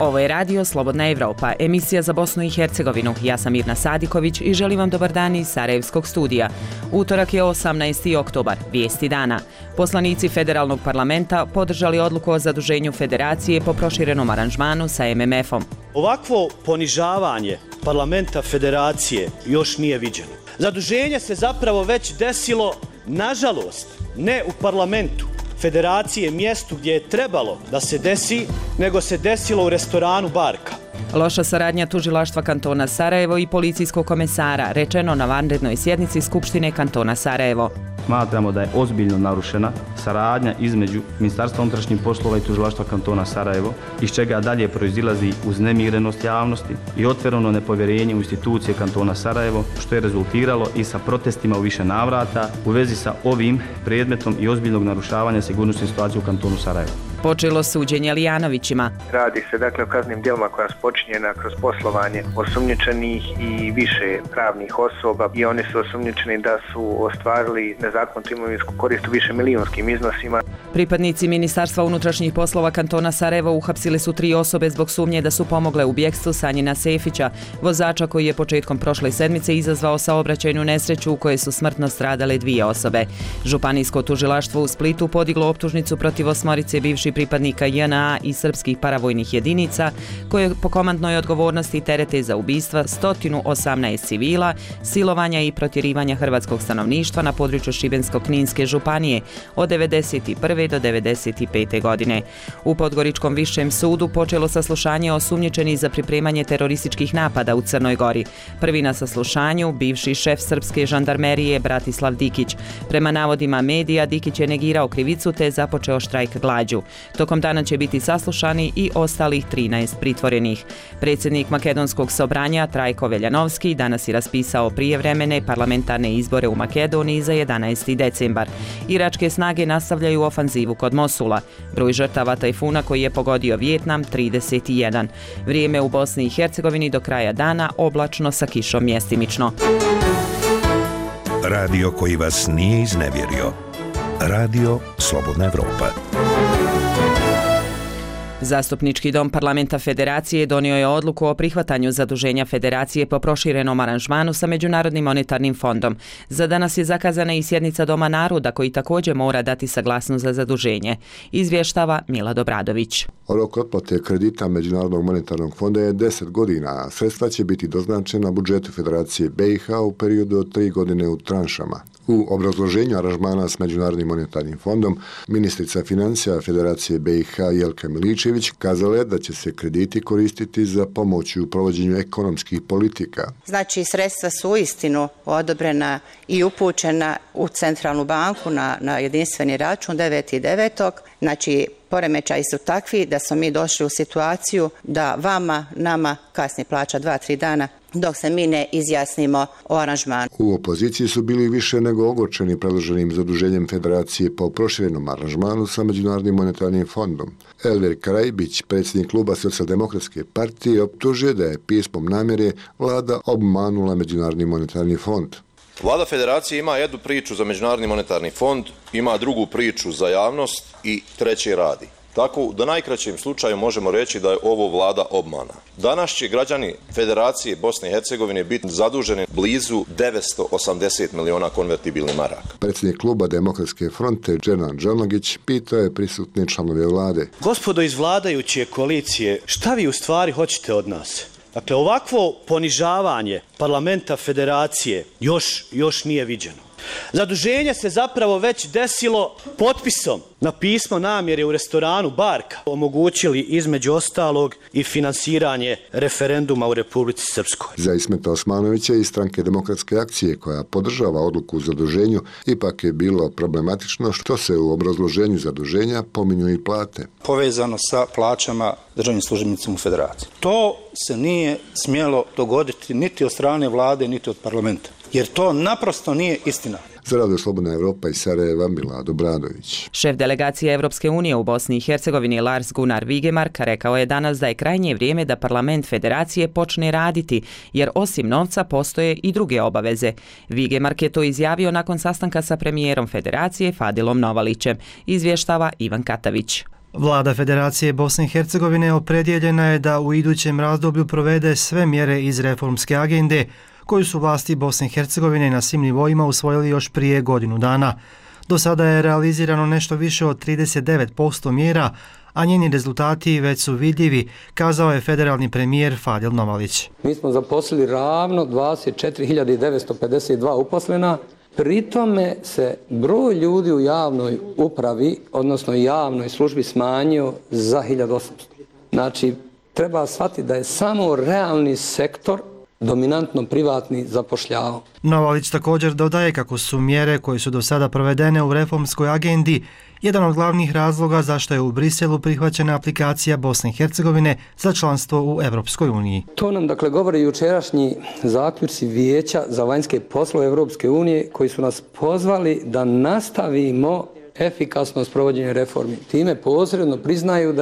Ovo je Radio Slobodna Evropa, emisija za Bosnu i Hercegovinu. Ja sam Mirna Sadiković i želim vam dobar dan iz Sarajevskog studija. Utorak je 18. oktobar, vijesti dana. Poslanici Federalnog parlamenta podržali odluku o zaduženju federacije po proširenom aranžmanu sa MMF-om. Ovakvo ponižavanje parlamenta federacije još nije viđeno. Zaduženje se zapravo već desilo, nažalost, ne u parlamentu federacije, mjestu gdje je trebalo da se desi, nego se desilo u restoranu Barka. Loša saradnja tužilaštva kantona Sarajevo i policijskog komesara, rečeno na vanrednoj sjednici Skupštine kantona Sarajevo. Smatramo da je ozbiljno narušena saradnja između Ministarstva unutrašnjih poslova i tužilaštva kantona Sarajevo, iz čega dalje proizilazi uznemirenost javnosti i otvoreno nepovjerenje u institucije kantona Sarajevo, što je rezultiralo i sa protestima u više navrata u vezi sa ovim predmetom i ozbiljnog narušavanja sigurnosne situacije u kantonu Sarajevo. Počelo suđenje Lijanovićima. Radi se dakle o kaznenim djelima koja su počinjena kroz poslovanje osumnjičenih i više pravnih osoba i oni su osumnjičeni da su ostvarili nezakonitu imovinsku korist u više milijunskim iznosima. Pripadnici Ministarstva unutrašnjih poslova kantona Sarajevo uhapsili su 3 osobe zbog sumnje da su pomogle u bjegstvu Sanjina Sefića, vozača koji je početkom prošle sedmice izazvao saobraćajnu nesreću u kojoj su smrtno stradale 2 osobe. Županijsko tužilaštvo u Splitu podiglo optužnicu protiv 8 bivših pripadnika JNA i srpskih paravojnih jedinica koje po komandnoj odgovornosti terete za ubistva 118 civila, silovanja i protjerivanja hrvatskog stanovništva na području Šibensko-kninske županije od 1991. do 1995. godine. U Podgoričkom višem sudu počelo saslušanje osumnjičenih za pripremanje terorističkih napada u Crnoj Gori. Prvi na saslušanju bivši šef srpske žandarmerije Bratislav Dikić. Prema navodima medija, Dikić je negirao krivicu te je započeo štrajk glađu. Tokom dana će biti saslušani i ostalih 13 pritvorenih. Predsjednik Makedonskog sobranja Trajko Veljanovski danas je raspisao prijevremene parlamentarne izbore u Makedoniji za 11. decembar. Iračke snage nastavljaju ofanzivu kod Mosula. Broj žrtava tajfuna koji je pogodio Vijetnam 31. Vrijeme u Bosni i Hercegovini do kraja dana oblačno sa kišom mjestimično. Radio koji vas nije iznevjerio. Radio Slobodna Evropa. Zastupnički dom parlamenta Federacije donio je odluku o prihvatanju zaduženja Federacije po proširenom aranžmanu sa Međunarodnim monetarnim fondom. Za danas je zakazana i sjednica Doma naroda koji također mora dati saglasnost za zaduženje. Izvještava Milad Obradović. Rok otplate kredita Međunarodnog monetarnog fonda je 10 godina, a sredstva će biti doznačena budžetu Federacije BiH u periodu od 3 godine u tranšama. U obrazloženju aranžmana s Međunarodnim monetarnim fondom, ministrica financija Federacije BiH Jelka Miličević kazala je da će se krediti koristiti za pomoć u provođenju ekonomskih politika. Znači, sredstva su uistinu odobrena i upućena u centralnu banku na jedinstveni račun 9.9. Znači, poremećaji su takvi da smo mi došli u situaciju da nama kasni plaća 2-3 dana dok se mi ne izjasnimo o aranžmanu. U opoziciji su bili više nego ogorčeni predloženim zaduženjem Federacije po proširenom aranžmanu sa Međunarodnim monetarnim fondom. Elver Karajbić, predsjednik kluba Socijaldemokratske partije, optužuje da je pismom namjere vlada obmanula Međunarodni monetarni fond. Vlada Federacije ima jednu priču za Međunarodni monetarni fond, ima drugu priču za javnost i treće radi. Tako, da najkraćem slučaju možemo reći da je ovo vlada obmana. Danas će građani Federacije Bosne i Hercegovine biti zaduženi blizu 980 miliona konvertibilnih maraka. Predsjednik kluba Demokratske fronte Dženan Džanogić pitao je prisutne članove vlade. Gospodo iz vladajuće koalicije, šta vi u stvari hoćete od nas? Dakle, ovakvo ponižavanje parlamenta federacije još nije viđeno. Zaduženje se zapravo već desilo potpisom na pismo namjere u restoranu Barka. Omogućili između ostalog i finansiranje referenduma u Republici Srpskoj. Za Ismeta Osmanovića i stranke Demokratske akcije koja podržava odluku o zaduženju ipak je bilo problematično što se u obrazloženju zaduženja pominju i plate. Povezano sa plaćama državnim službenicima u Federaciji. To se nije smjelo dogoditi niti od strane vlade, niti od parlamenta. Jer to naprosto nije istina. Za Radio Slobodna Evropa iz Sarajeva, Milad Obradović. Šef delegacije Evropske unije u Bosni i Hercegovini Lars Gunnar Vigemark rekao je danas da je krajnje vrijeme da parlament Federacije počne raditi, jer osim novca postoje i druge obaveze. Vigemark je to izjavio nakon sastanka sa premijerom Federacije Fadilom Novalićem, izvještava Ivan Katavić. Vlada Federacije Bosne i Hercegovine opredjeljena je da u idućem razdoblju provede sve mjere iz reformske agende koju su vlasti Bosne i Hercegovine na svim nivoima usvojili još prije godinu dana. Do sada je realizirano nešto više od 39% mjera, a njeni rezultati već su vidljivi, kazao je federalni premijer Fadil Novalić. Mi smo zaposlili ravno 24.952 uposlena, pri tome se broj ljudi u javnoj upravi, odnosno javnoj službi smanjio za 1800. Znači, treba shvatiti da je samo realni sektor dominantno privatni zapošljavao. Novalić također dodaje kako su mjere koje su do sada provedene u reformskoj agendi jedan od glavnih razloga zašto je u Briselu prihvaćena aplikacija Bosne i Hercegovine za članstvo u Europskoj uniji. To nam dakle govori jučerašnji zaključci Vijeća za vanjske poslove Europske unije koji su nas pozvali da nastavimo efikasno sprovođenje reformi. Time posredno priznaju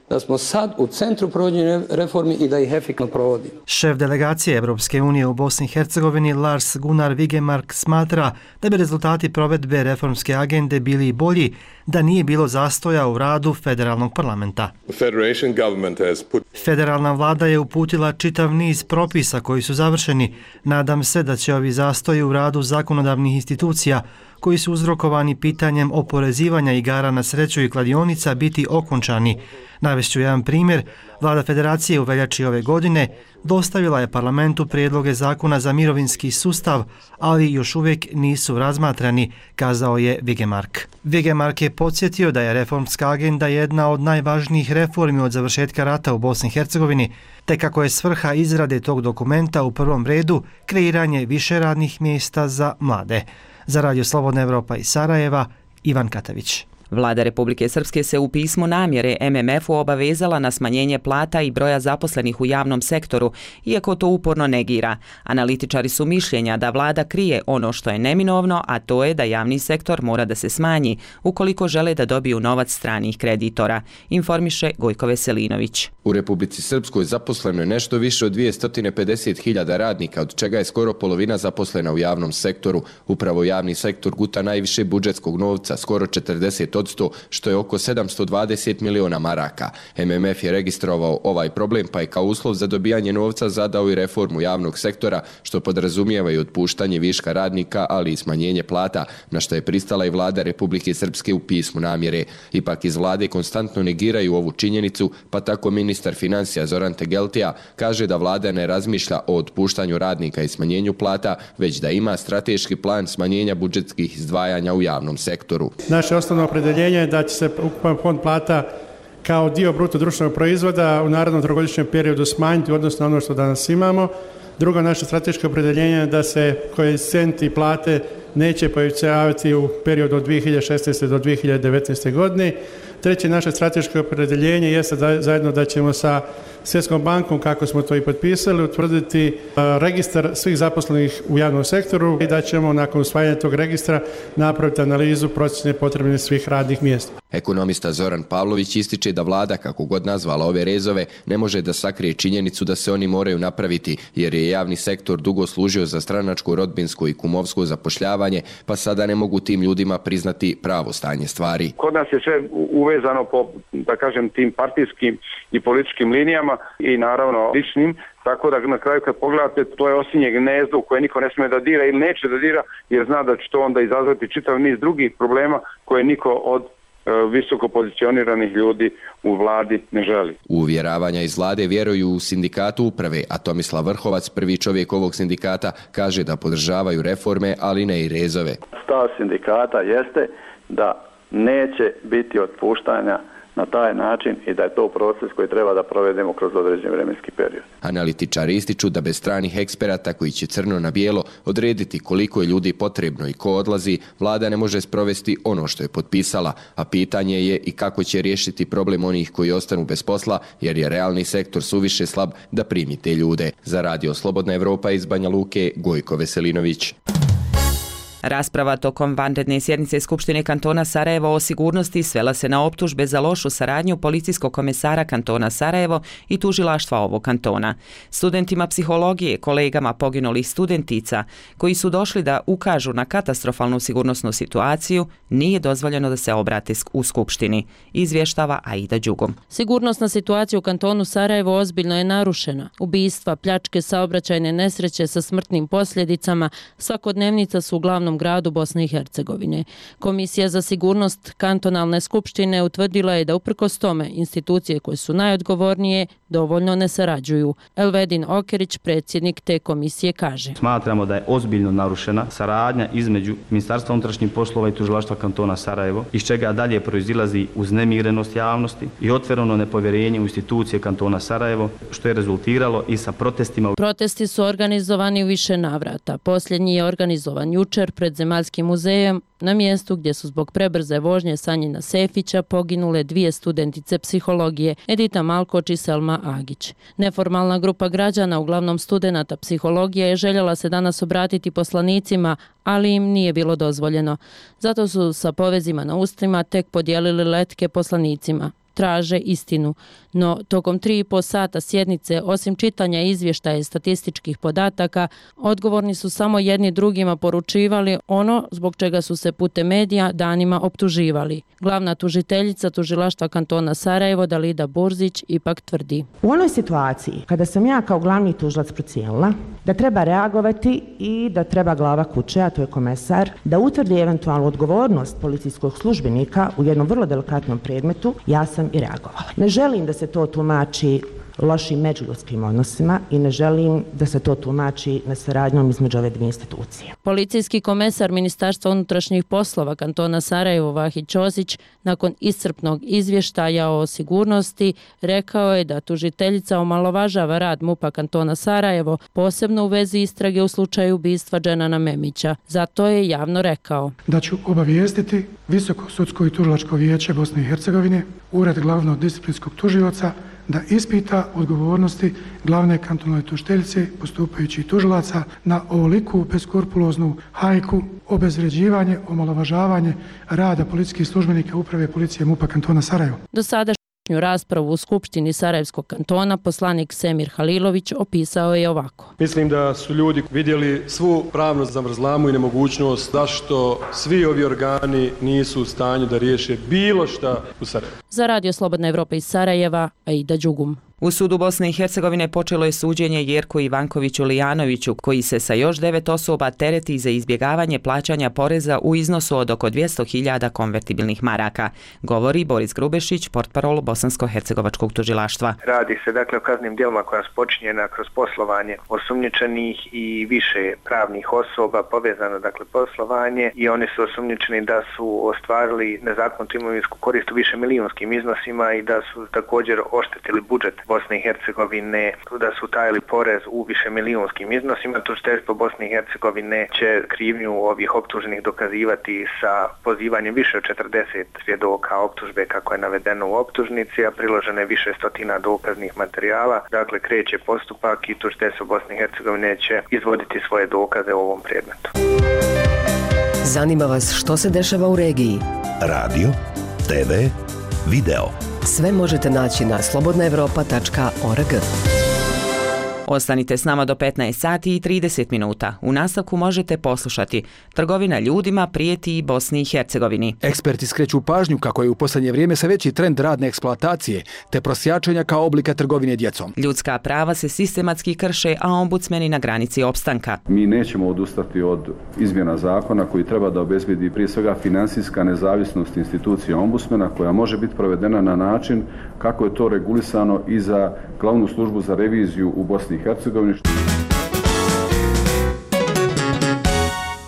da smo sad u centru provođenja reformi i da ih efikasno provodi. Šef delegacije Europske unije u Bosni i Hercegovini Lars Gunnar Vigemark smatra da bi rezultati provedbe reformske agende bili i bolji da nije bilo zastoja u radu federalnog parlamenta. Federalna vlada je uputila čitav niz propisa koji su završeni. Nadam se da će ovi zastoji u radu zakonodavnih institucija koji su uzrokovani pitanjem oporezivanja igara na sreću i kladionica biti okončani. Navešću jedan primjer. Vlada Federacije u veljači ove godine dostavila je parlamentu prijedloge zakona za mirovinski sustav, ali još uvijek nisu razmatrani, kazao je Vigemark. Vigemark je podsjetio da je reformska agenda jedna od najvažnijih reformi od završetka rata u Bosni i Hercegovini, te kako je svrha izrade tog dokumenta u prvom redu kreiranje više radnih mjesta za mlade. Za Radio Slobodna Evropa iz Sarajeva, Ivan Katavić. Vlada Republike Srpske se u pismu namjere MMF-u obavezala na smanjenje plata i broja zaposlenih u javnom sektoru, iako to uporno negira. Analitičari su mišljenja da vlada krije ono što je neminovno, a to je da javni sektor mora da se smanji ukoliko žele da dobiju novac stranih kreditora, informiše Gojko Veselinović. U Republici Srpskoj zaposleno je nešto više od 250.000 radnika, od čega je skoro polovina zaposlena u javnom sektoru. Upravo javni sektor guta najviše budžetskog novca, skoro 40%, što je oko 720 miliona maraka. MMF je registrovao ovaj problem, pa je kao uslov za dobijanje novca zadao i reformu javnog sektora, što podrazumijeva i otpuštanje viška radnika, ali i smanjenje plata, na što je pristala i vlada Republike Srpske u pismu namjere. Ipak iz vlade konstantno negiraju ovu činjenicu, pa tako ministar financija Zoran Tegeltija kaže da vlada ne razmišlja o otpuštanju radnika i smanjenju plata, već da ima strateški plan smanjenja budžetskih izdvajanja u javnom sektoru. Naše osnovno opredeljenje je da će se ukupan fond plata kao dio bruto društvenog proizvoda u narednom trogodišnjem periodu smanjiti, odnosno ono što danas imamo. Drugo, naše strateško opredeljenje je da se koeficijenti plate neće povećavati u periodu od 2016. do 2019. godine. Treće, naše strateško opredeljenje jeste zajedno da ćemo sa Svjetskom bankom, kako smo to i potpisali, utvrditi registar svih zaposlenih u javnom sektoru i da ćemo nakon usvajanja tog registra napraviti analizu procjene potrebne svih radnih mjesta. Ekonomista Zoran Pavlović ističe da vlada, kako god nazvala ove rezove, ne može da sakrije činjenicu da se oni moraju napraviti, jer je javni sektor dugo služio za stranačko, rodbinsko i kumovsko zapošljavanje, pa sada ne mogu tim ljudima priznati pravo stanje stvari. Kod nas je sve uvezano po, da kažem, tim partijskim i političkim linijama i naravno ličnim, tako da na kraju kad pogledate to je osinje gnezdo u koje niko ne smije da dira ili neće da dira, jer zna da će to onda izazvati čitav niz drugih problema koje niko od visoko pozicioniranih ljudi u vladi ne želi. U uvjeravanja iz vlade vjeruju u sindikatu uprave, a Tomislav Vrhovac, prvi čovjek ovog sindikata, kaže da podržavaju reforme, ali ne i rezove. Stav sindikata jeste da neće biti otpuštanja na taj način i da je to proces koji treba da provedemo kroz određen vremenski period. Analitičari ističu da bez stranih eksperata koji će crno na bijelo odrediti koliko je ljudi potrebno i ko odlazi, vlada ne može sprovesti ono što je potpisala, a pitanje je i kako će riješiti problem onih koji ostanu bez posla, jer je realni sektor suviše slab da primi te ljude. Za Radio Slobodna Evropa iz Banja Luke, Gojko Veselinović. Rasprava tokom vanredne sjednice Skupštine kantona Sarajevo o sigurnosti svela se na optužbe za lošu saradnju policijskog komesara kantona Sarajevo i tužilaštva ovog kantona. Studentima psihologije, kolegama poginulih studentica, koji su došli da ukažu na katastrofalnu sigurnosnu situaciju, nije dozvoljeno da se obrate u Skupštini, izvještava Aida Đugum. Sigurnosna situacija u kantonu Sarajevo ozbiljno je narušena. Ubistva, pljačke, saobraćajne nesreće sa smrtnim posljedicama svakodnevnica su u glavnom gradu Bosne i Hercegovine. Komisija za sigurnost kantonalne skupštine utvrdila je da uprkos tome institucije koje su najodgovornije dovoljno ne sarađuju. Elvedin Okerić, predsjednik te komisije, kaže: Smatramo da je ozbiljno narušena saradnja između Ministarstva unutrašnjih poslova i tužilaštva kantona Sarajevo, iz čega dalje proizilazi uznemirenost javnosti i otvoreno nepovjerenje u institucije kantona Sarajevo, što je rezultiralo i sa protestima. Protesti su organizovani u više navrata. Posljednji je organizovan jučer pred Zemaljskim muzejom, na mjestu gdje su zbog prebrze vožnje Sanjina Sefića poginule 2 studentice psihologije, Edita Malkoč i Selma Agić. Neformalna grupa građana, uglavnom studenata psihologije, je željela se danas obratiti poslanicima, ali im nije bilo dozvoljeno. Zato su sa povezima na ustima tek podijelili letke poslanicima. Traže istinu. No, tokom 3,5 sata sjednice, osim čitanja izvještaja i statističkih podataka, odgovorni su samo jedni drugima poručivali ono zbog čega su se putem medija danima optuživali. Glavna tužiteljica tužilaštva kantona Sarajevo, Dalida Burzić, ipak tvrdi: U onoj situaciji kada sam ja kao glavni tužilac procijenila da treba reagovati i da treba glava kuće, a to je komesar, da utvrdi eventualnu odgovornost policijskog službenika u jednom vrlo delikatnom predmetu, ja sam i reagovala. Ne želim da se to tumači lošim međuljudskim odnosima i ne želim da se to tumači nesaradnjom između ove dvije institucije. Policijski komesar Ministarstva unutrašnjih poslova kantona Sarajevo, Vahid Ćosić, nakon iscrpnog izvještaja o sigurnosti, rekao je da tužiteljica omalovažava rad MUP-a kantona Sarajevo, posebno u vezi istrage u slučaju ubistva Dženana Memića. Zato je javno rekao: Da ću obavijestiti Visoko sudsko i tužilačko vijeće Bosne i Hercegovine, Ured glavnog disciplinskog tužioca, da ispita odgovornosti glavne kantonalne tužiteljice, postupajućih tužilaca na ovoliku beskrupuloznu hajku, obezvređivanje, omalovažavanje rada policijskih službenika Uprave policije MUP-a kantona Sarajevo. Do sada raspravu u Skupštini Sarajevskog kantona poslanik Semir Halilović opisao je ovako: Mislim da su ljudi vidjeli svu pravnu zavrzlamu i nemogućnost zašto svi ovi organi nisu u stanju da riješe bilo šta u Sarajevu. Za Radio Slobodna Evropa iz Sarajeva, Aida Đugum. U sudu Bosne i Hercegovine počelo je suđenje Jerku Ivankoviću Lijanoviću, koji se sa još 9 osoba tereti za izbjegavanje plaćanja poreza u iznosu od oko 200.000 konvertibilnih maraka, govori Boris Grubešić, portparol Bosansko-hercegovačkog tužilaštva. Radi se dakle o kaznenim djelima koja su počinjena kroz poslovanje osumnjičenih i više pravnih osoba, povezano dakle poslovanje, i oni su osumnjičeni da su ostvarili nezakonitu imovinsku korist u više milijunskim iznosima i da su također oštetili budžet Bosne i Hercegovine, da su tajili porez u više milijunskim iznosima. Tužiteljstvo Bosne i Hercegovine će krivnju ovih optuženih dokazivati sa pozivanjem više od 40 svjedoka optužbe kako je navedeno u optužnici, a priloženo je više stotina dokaznih materijala. Dakle, kreće postupak i tužiteljstvo Bosne i Hercegovine će izvoditi svoje dokaze u ovom predmetu. Zanima vas što se dešava u regiji? Radio, TV, video. Sve možete naći na slobodnaevropa.org. Ostanite s nama do 15 sati i 30 minuta. U nastavku možete poslušati: trgovina ljudima prijeti i Bosni i Hercegovini. Eksperti skreću pažnju kako je u posljednje vrijeme sve veći trend radne eksploatacije te prosjačenja kao oblika trgovine djecom. Ljudska prava se sistematski krše, a ombudsmeni na granici opstanka. Mi nećemo odustati od izmjena zakona koji treba da obezbedi prije svega financijska nezavisnost institucije ombudsmena, koja može biti provedena na način kako je to regulisano i za glavnu službu za reviziju u Bosni i Hercegovini.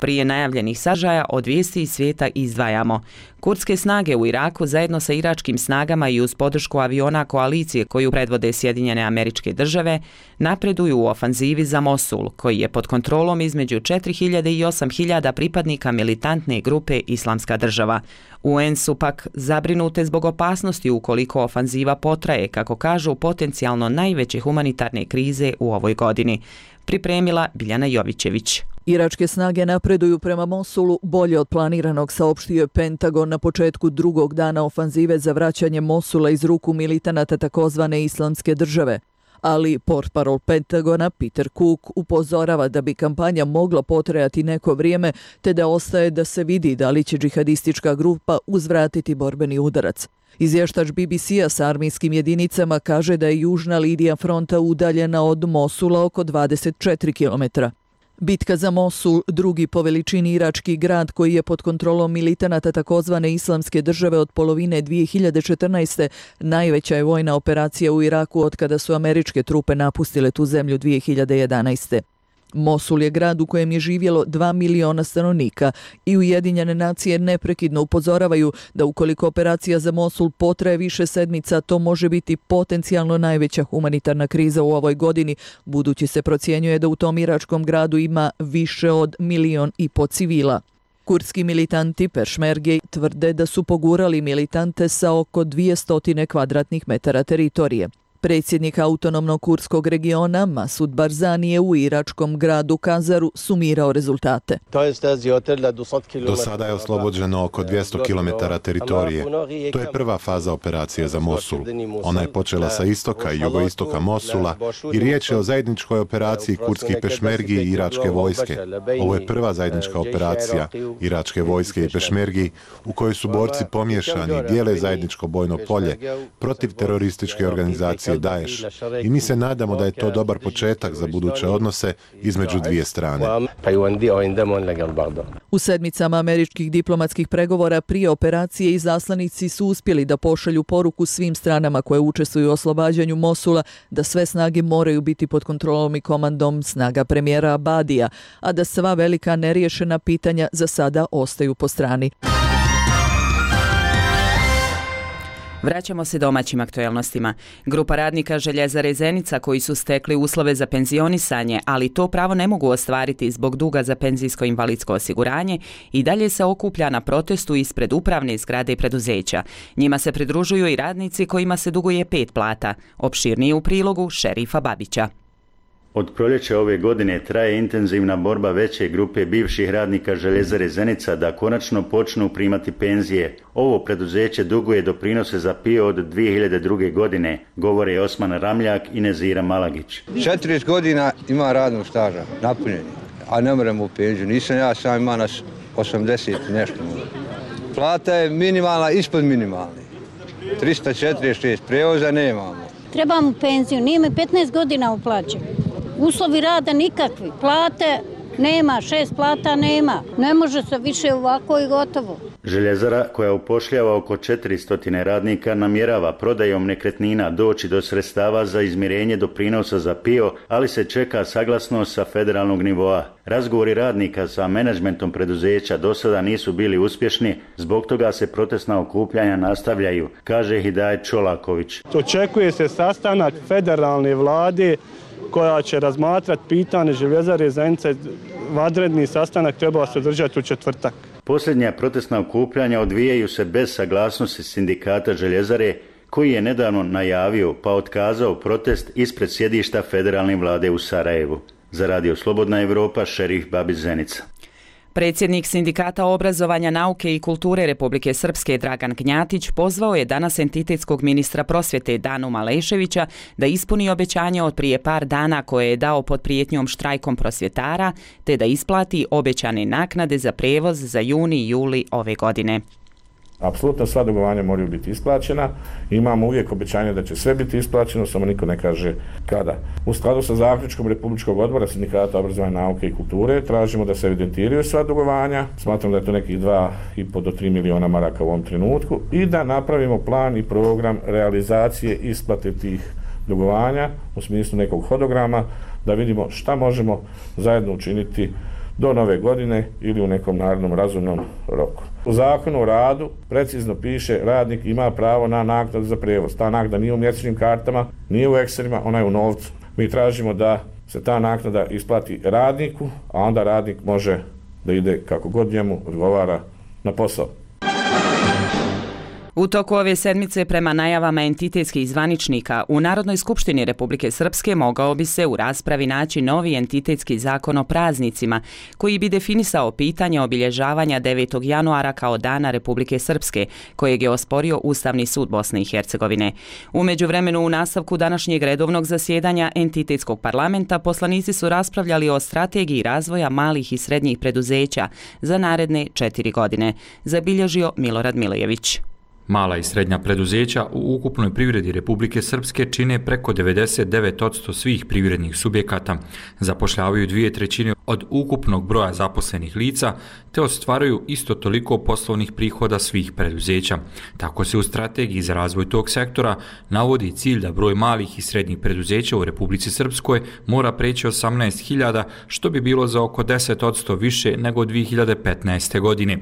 Prije najavljenih sadržaja od vijesti iz svijeta izdvajamo: kurdske snage u Iraku zajedno sa iračkim snagama i uz podršku aviona koalicije koju predvode Sjedinjene Američke Države napreduju u ofanzivi za Mosul, koji je pod kontrolom između 4.000 i 8.000 pripadnika militantne grupe Islamska država. UN su pak zabrinute zbog opasnosti ukoliko ofanziva potraje, kako kažu, potencijalno najveće humanitarne krize u ovoj godini. Pripremila Biljana Jovićević. Iračke snage napreduju prema Mosulu bolje od planiranog, saopštio je Pentagon na početku drugog dana ofanzive za vraćanje Mosula iz ruku militanata takozvane Islamske države. Ali portparol Pentagona Peter Cook upozorava da bi kampanja mogla potrajati neko vrijeme, te da ostaje da se vidi da li će džihadistička grupa uzvratiti borbeni udarac. Izvještač BBC-a sa armijskim jedinicama kaže da je južna linija fronta udaljena od Mosula oko 24 km. Bitka za Mosul, drugi po veličini irački grad koji je pod kontrolom militanata takozvane Islamske države od polovine 2014. najveća je vojna operacija u Iraku od kada su američke trupe napustile tu zemlju 2011. Mosul je grad u kojem je živjelo 2 miliona stanovnika i Ujedinjene nacije neprekidno upozoravaju da ukoliko operacija za Mosul potraje više sedmica, to može biti potencijalno najveća humanitarna kriza u ovoj godini, budući se procjenjuje da u tom iračkom gradu ima više od 1,5 miliona civila. Kurdski militanti Pešmerge tvrde da su pogurali militante sa oko 200 kvadratnih metara teritorije. Predsjednik autonomnog kurdskog regiona Masud Barzani je u iračkom gradu Kazaru sumirao rezultate. Do sada je oslobođeno oko 200 km teritorije. To je prva faza operacije za Mosul. Ona je počela sa istoka i jugoistoka Mosula i riječ je o zajedničkoj operaciji kurdskih pešmergi i iračke vojske. Ovo je prva zajednička operacija iračke vojske i pešmergi u kojoj su borci pomiješani i dijele zajedničko bojno polje protiv terorističke organizacije Daesh i mi se nadamo da je to dobar početak za buduće odnose između dvije strane. U sedmicama američkih diplomatskih pregovora prije operacije izaslanici su uspjeli da pošalju poruku svim stranama koje učestvuju u oslobađanju Mosula da sve snage moraju biti pod kontrolom i komandom snaga premijera Abadija, a da sva velika neriješena pitanja za sada ostaju po strani. Vraćamo se domaćim aktualnostima. Grupa radnika Željezare Zenica koji su stekli uslove za penzionisanje, ali to pravo ne mogu ostvariti zbog duga za penzijsko-invalidsko osiguranje, i dalje se okuplja na protestu ispred upravne zgrade preduzeća. Njima se pridružuju i radnici kojima se duguje 5 plata. Opširnije u prilogu Šerifa Babića. Od proljeća ove godine traje intenzivna borba veće grupe bivših radnika Željezare Zenica da konačno počnu primati penzije. Ovo preduzeće duguje doprinose za PIO od 2002. godine, govore Osman Ramljak i Nezira Malagić. 40 godina ima radnog staža, napunjeni, a ne moramo u penziju. Nisam ja, sam ima nas 80 nešto. Plata je minimalna, ispod minimalne. 346, prevoza nemamo. Trebamo penziju, nije mi 15 godina uplaćen. Uslovi rada nikakvi, plate nema, 6 plata nema, ne može se više ovako i gotovo. Željezara, koja upošljava oko 400 radnika, namjerava prodajom nekretnina doći do sredstava za izmirenje doprinosa za PIO, ali se čeka saglasnost sa federalnog nivoa. Razgovori radnika sa menadžmentom preduzeća do sada nisu bili uspješni, zbog toga se protestna okupljanja nastavljaju, kaže Hidajet Čolaković. Očekuje se sastanak federalne vlade koja će razmatrati pitanje Željezare Zenica. Vanredni sastanak treba se održati u četvrtak. Posljednja protestna okupljanja odvijaju se bez saglasnosti sindikata Željezare, koji je nedavno najavio pa otkazao protest ispred sjedišta federalne vlade u Sarajevu. Za Radio Slobodna Evropa, Šerif Babić, Zenica. Predsjednik Sindikata obrazovanja, nauke i kulture Republike Srpske Dragan Gnjatić pozvao je danas entitetskog ministra prosvjete Danu Maleševića da ispuni obećanje od prije par dana koje je dao pod prijetnjom štrajkom prosvjetara, te da isplati obećane naknade za prevoz za juni i juli ove godine. Apsolutno sva dugovanja moraju biti isplaćena. Imamo uvijek obećanje da će sve biti isplaćeno, samo niko ne kaže kada. U skladu sa zaključkom Republičkog odbora Sindikata obrazovanja, nauke i kulture tražimo da se evidentiraju sva dugovanja. Smatram da je to nekih 2,5 do 3 miliona maraka u ovom trenutku i da napravimo plan i program realizacije isplate tih dugovanja u smislu nekog hodograma, da vidimo šta možemo zajedno učiniti do nove godine ili u nekom narednom razumnom roku. U Zakonu o radu precizno piše radnik ima pravo na naknadu za prevoz. Ta naknada nije u mjesečnim kartama, nije u Excelima, ona je u novcu. Mi tražimo da se ta naknada isplati radniku, a onda radnik može da ide kako god njemu odgovara na posao. U toku ove sedmice, prema najavama entitetskih zvaničnika, u Narodnoj skupštini Republike Srpske mogao bi se u raspravi naći novi entitetski zakon o praznicima, koji bi definisao pitanje obilježavanja 9. januara kao Dana Republike Srpske, kojeg je osporio Ustavni sud Bosne i Hercegovine. U međuvremenu, u nastavku današnjeg redovnog zasjedanja entitetskog parlamenta, poslanici su raspravljali o strategiji razvoja malih i srednjih preduzeća za naredne 4 godine, zabilježio Milorad Milojević. Mala i srednja preduzeća u ukupnoj privredi Republike Srpske čine preko 99% svih privrednih subjekata, zapošljavaju 2/3 od ukupnog broja zaposlenih lica, te ostvaruju isto toliko poslovnih prihoda svih preduzeća. Tako se u strategiji za razvoj tog sektora navodi cilj da broj malih i srednjih preduzeća u Republici Srpskoj mora preći 18.000, što bi bilo za oko 10% više nego 2015. godine.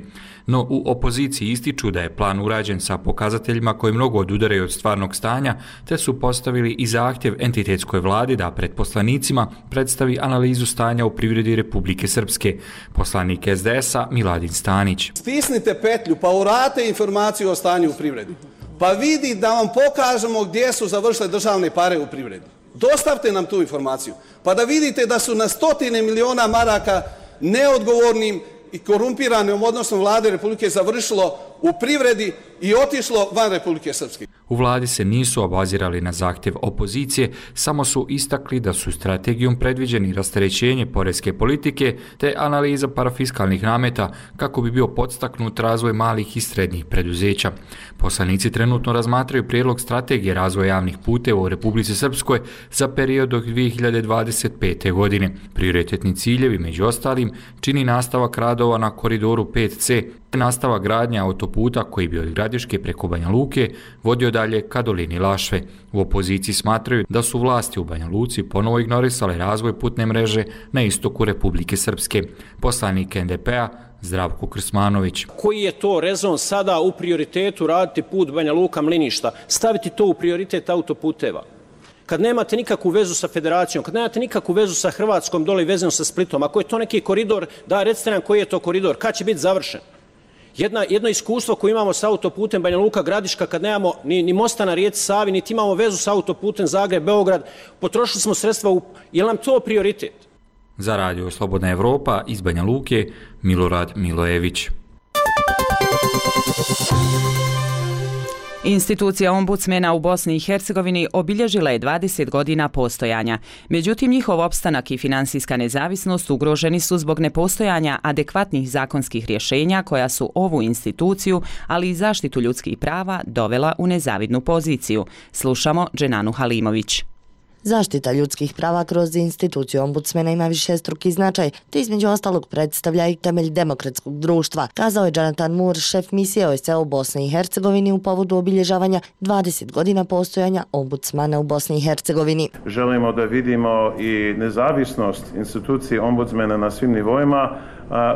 No u opoziciji ističu da je plan urađen sa pokazateljima koji mnogo odudaraju od stvarnog stanja, te su postavili i zahtjev entitetskoj vladi da pred poslanicima predstavi analizu stanja u privredi Republike Srpske. Poslanik SDS-a Miladin Stanić. Stisnite petlju pa urate informaciju o stanju u privredi. Pa vidi da vam pokažemo gdje su završile državne pare u privredi. Dostavte nam tu informaciju. Pa da vidite da su na stotine miliona maraka neodgovornim i korumpiranom odnosom vlade Republike završilo u privredi i otišlo van Republike Srpske. U vladi se nisu obazirali na zahtjev opozicije, samo su istakli da su strategijom predviđeni rasterećenje poreske politike te analiza parafiskalnih nameta kako bi bio podstaknut razvoj malih i srednjih preduzeća. Poslanici trenutno razmatraju prijedlog strategije razvoja javnih puteva u Republici Srpskoj za period do 2025. godine. Prioritetni ciljevi, među ostalim, čini nastavak radova na koridoru 5C, nastavak gradnje autoputa koji bi od Gradiške preko Banja Luke vodio dalje ka dolini Lašve. U opoziciji smatraju da su vlasti u Banja Luci ponovo ignorisale razvoj putne mreže na istoku Republike Srpske. Poslanik NDP-a Zdravko Krsmanović. Koji je to rezon sada u prioritetu raditi put Banja Luka Mliništa, staviti to u prioritet autoputeva? Kad nemate nikakvu vezu sa federacijom, kad nemate nikakvu vezu sa Hrvatskom dole i vezano sa Splitom, ako je to neki koridor, da recite nam koji je to koridor, kad će biti završen? Jedno iskustvo koje imamo sa autoputem Banja Luka Gradiška, kad nemamo ni mosta na rijeci Savi, niti imamo vezu sa autoputem Zagreb-Beograd, potrošili smo sredstva, je li nam to prioritet? Za Radio Slobodna Evropa iz Banja Luke, Milorad Milojević. Institucija ombudsmena u Bosni i Hercegovini obilježila je 20 godina postojanja. Međutim, njihov opstanak i finansijska nezavisnost ugroženi su zbog nepostojanja adekvatnih zakonskih rješenja koja su ovu instituciju, ali i zaštitu ljudskih prava, dovela u nezavidnu poziciju. Slušamo Dženanu Halimović. Zaštita ljudskih prava kroz instituciju ombudsmena ima višestruki značaj, te između ostalog predstavlja i temelj demokratskog društva, kazao je Jonathan Moore, šef misije OSCE u Bosni i Hercegovini u povodu obilježavanja 20 godina postojanja ombudsmana u Bosni i Hercegovini. Želimo da vidimo i nezavisnost institucije ombudsmena na svim nivoima,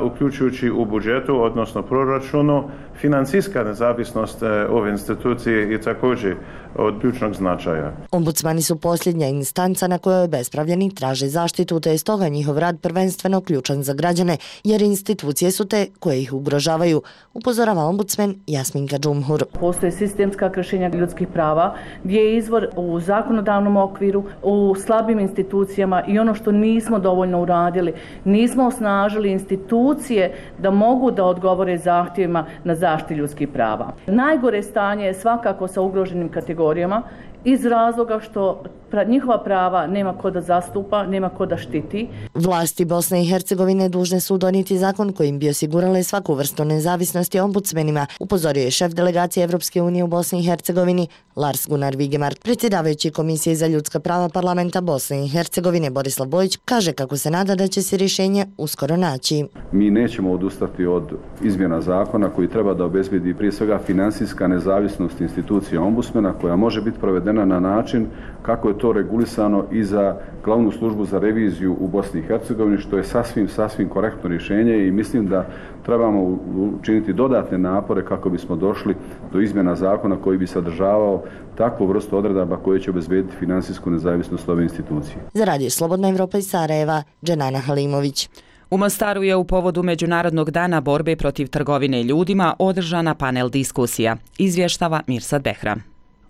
uključujući u budžetu, odnosno proračunu. Financijska nezavisnost ove institucije je također od ključnog značaja. Ombudsmani su posljednja instanca na kojoj obespravljeni traže zaštitu, te je stoga njihov rad prvenstveno ključan za građane, jer institucije su te koje ih ugrožavaju, upozorava ombudsman Jasminka Džumhur. Postoje sistemska kršenja ljudskih prava, gdje je izvor u zakonodavnom okviru, u slabim institucijama i ono što nismo dovoljno uradili, nismo osnažili institucije da mogu da odgovore zahtjevima na zaštitu ljudskih prava. Najgore stanje je svakako sa ugroženim kategorijama iz razloga što njihova prava nema ko da zastupa, nema ko da štiti. Vlasti Bosne i Hercegovine dužne su donijeti zakon kojim bi osigurale svaku vrstu nezavisnosti ombudsmenima, upozorio je šef delegacije Evropske unije u Bosni i Hercegovini Lars Gunnar Vigemar. Predsjedavajući Komisije za ljudska prava parlamenta Bosne i Hercegovine Borislav Bojić kaže kako se nada da će se rješenje uskoro naći. Mi nećemo odustati od izmjena zakona koji treba da obezbedi prije svega finansijska nezavisnost institucije ombudsmena koja može biti provedena na način kako je to regulisano i za glavnu službu za reviziju u Bosni i Hercegovini, što je sasvim korektno rješenje i mislim da trebamo učiniti dodatne napore kako bismo došli do izmjena zakona koji bi sadržavao takvu vrstu odredaba koje će obezbediti finansijsku nezavisnost ove institucije. Za Radio Slobodna Evropa iz Sarajeva, Dženana Halimović. U Mostaru je u povodu Međunarodnog dana borbe protiv trgovine ljudima održana panel diskusija, izvještava Mirsad Behram.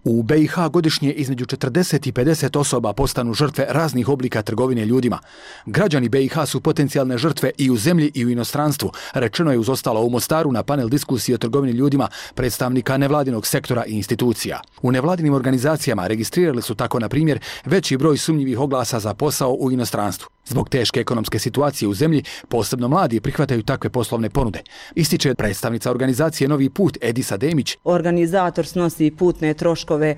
U BiH godišnje između 40 i 50 osoba postanu žrtve raznih oblika trgovine ljudima. Građani BiH su potencijalne žrtve i u zemlji i u inostranstvu, rečeno je uz ostalo u Mostaru na panel diskusije o trgovini ljudima predstavnika nevladinog sektora i institucija. U nevladinim organizacijama registrirali su tako, na primjer, veći broj sumnjivih oglasa za posao u inostranstvu. Zbog teške ekonomske situacije u zemlji, posebno mladi prihvataju takve poslovne ponude. Ističe predstavnica organizacije Novi put Edisa Demić. Organizator snosi putne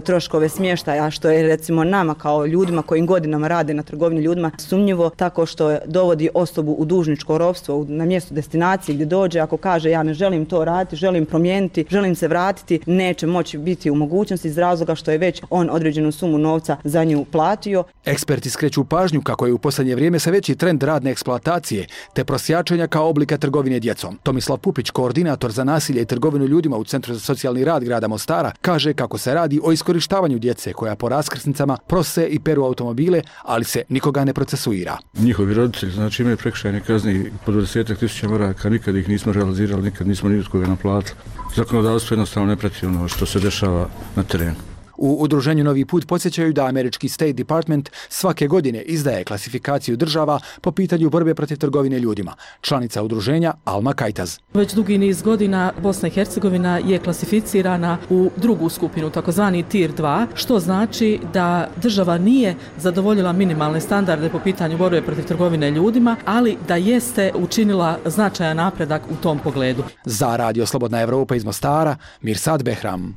troškove smještaja, što je recimo nama kao ljudima koji godinama rade na trgovini ljudima sumnjivo, tako što dovodi osobu u dužničko ropstvo na mjestu destinacije gdje dođe, ako kaže ja ne želim to raditi, želim promijeniti, želim se vratiti, neće moći biti u mogućnosti iz razloga što je već on određenu sumu novca za nju platio. Eksperti skreću pažnju kako je u posljednje vrijeme sve veći trend radne eksploatacije te prosjačenja kao oblika trgovine djecom. Tomislav Pupić, koordinator za nasilje i trgovinu ljudima u Centru za socijalni rad grada Mostara, kaže kako se radi o iskorištavanju djece koja po raskrsnicama prose i peru automobile, ali se nikoga ne procesuira. Njihovi roditelji znači imaju prekršajne kazne po 20.000 maraka, nikad ih nismo realizirali, nikad nismo ni od koga naplatili. Zakonodavstvo jednostavno ne prati ono što se dešava na terenu. U udruženju Novi put podsjećaju da američki State Department svake godine izdaje klasifikaciju država po pitanju borbe protiv trgovine ljudima. Članica udruženja Alma Kajtaz. Već dugi niz godina Bosna i Hercegovina je klasificirana u drugu skupinu, takozvani Tier 2, što znači da država nije zadovoljila minimalne standarde po pitanju borbe protiv trgovine ljudima, ali da jeste učinila značajan napredak u tom pogledu. Za Radio Slobodna Evropa iz Mostara, Mirsad Behram.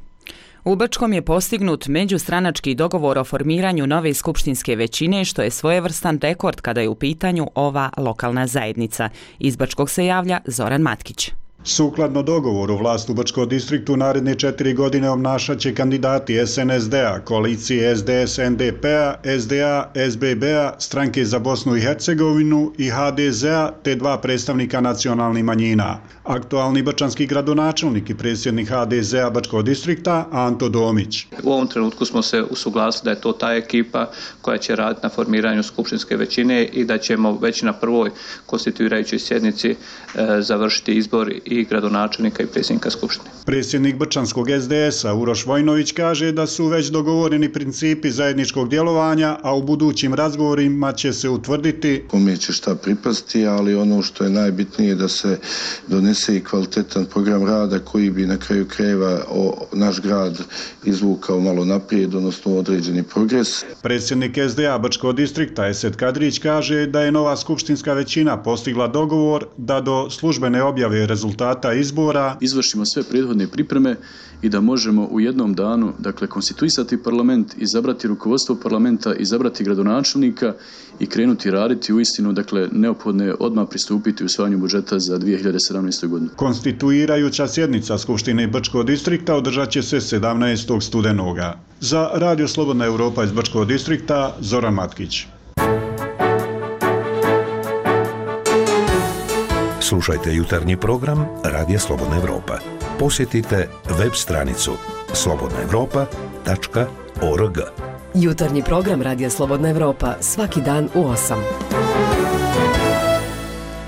U Brčkom je postignut međustranački dogovor o formiranju nove skupštinske većine, što je svojevrstan rekord kada je u pitanju ova lokalna zajednica. Iz Brčkog se javlja Zoran Matkić. Sukladno dogovoru, vlast u Brčkom distriktu naredne 4 godine obnašat će kandidati SNSD-a, koalicije SDS-NDP-a, SDA, SBB-a, Stranke za Bosnu i Hercegovinu i HDZ-a te 2 predstavnika nacionalnih manjina. Aktualni brčanski gradonačelnik i predsjednik HDZ-a Brčkog distrikta Anto Domić. U ovom trenutku smo se usuglasili da je to ta ekipa koja će raditi na formiranju skupštinske većine i da ćemo već na prvoj konstituirajućoj sjednici završiti izbor i gradonačelnika i predsjednika skupštine. Predsjednik brčanskog SDS-a Uroš Vojnović kaže da su već dogovoreni principi zajedničkog djelovanja, a u budućim razgovorima će se utvrditi kome će šta pripasti, ali ono što je najbitnije da se donese i kvalitetan program rada koji bi na kraju krajeva naš grad izvukao malo naprijed, odnosno određeni progres. Predsjednik SDA Brčkog distrikta Esed Kadrić kaže da je nova skupštinska većina postigla dogovor da do službene objave rezultata izbora izvršimo sve prethodne pripreme i da možemo u jednom danu, dakle, konstituisati parlament, izabrati rukovodstvo parlamenta, izabrati gradonačelnika i krenuti raditi uistinu, dakle, neophodno je odmah pristupiti usvajanju budžeta za 2017. godinu. Konstituirajuća sjednica Skupštine Brčkog distrikta održat će se 17. studenoga. Za Radio Slobodna Evropa iz Brčkog distrikta, Zoran Matkić. Slušajte jutarnji program Radija Slobodna Evropa. Posjetite web stranicu slobodnaevropa.org. Jutarnji program Radija Slobodna Evropa svaki dan u 8.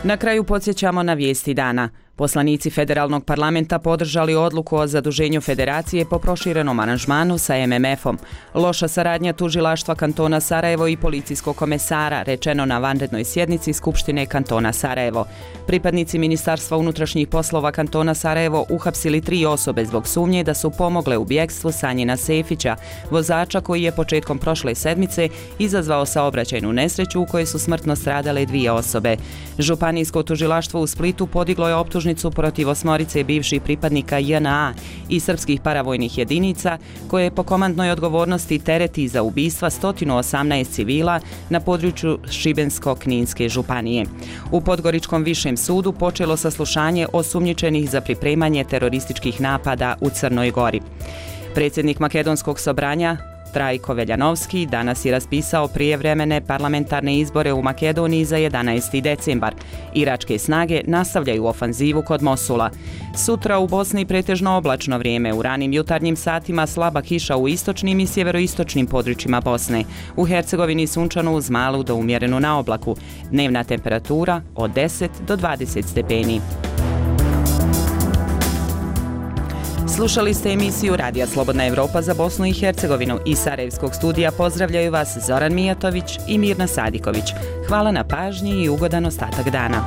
Na kraju podsjećamo na vijesti dana. Poslanici Federalnog parlamenta podržali odluku o zaduženju federacije po proširenom aranžmanu sa MMF-om. Loša saradnja tužilaštva kantona Sarajevo i policijskog komesara, rečeno na vanrednoj sjednici Skupštine kantona Sarajevo. Pripadnici Ministarstva unutrašnjih poslova kantona Sarajevo uhapsili 3 osobe zbog sumnje da su pomogle u bjegstvu Sanjina Sefića, vozača koji je početkom prošle sedmice izazvao saobraćajnu nesreću u kojoj su smrtno stradale 2 osobe. Županijsko tužilaštvo u Splitu podiglo je optužnicu protiv 8 bivših pripadnika JNA i srpskih paravojnih jedinica koje po komandnoj odgovornosti tereti za ubistva 118 civila na području Šibensko-Kninske županije. U Podgoričkom višem sudu počelo saslušanje osumnjičenih za pripremanje terorističkih napada u Crnoj Gori. Predsjednik Makedonskog sobranja Trajko Veljanovski danas je raspisao prijevremene parlamentarne izbore u Makedoniji za 11. decembar. Iračke snage nastavljaju ofanzivu kod Mosula. Sutra u Bosni pretežno oblačno vrijeme, u ranim jutarnjim satima slaba kiša u istočnim i sjeveroistočnim područjima Bosne. U Hercegovini sunčano uz malu do umjerenu na oblaku. Dnevna temperatura od 10 do 20 stepeni. Slušali ste emisiju Radija Slobodna Evropa za Bosnu i Hercegovinu. Iz Sarajevskog studija pozdravljaju vas Zoran Mijatović i Mirna Sadiković. Hvala na pažnji i ugodan ostatak dana.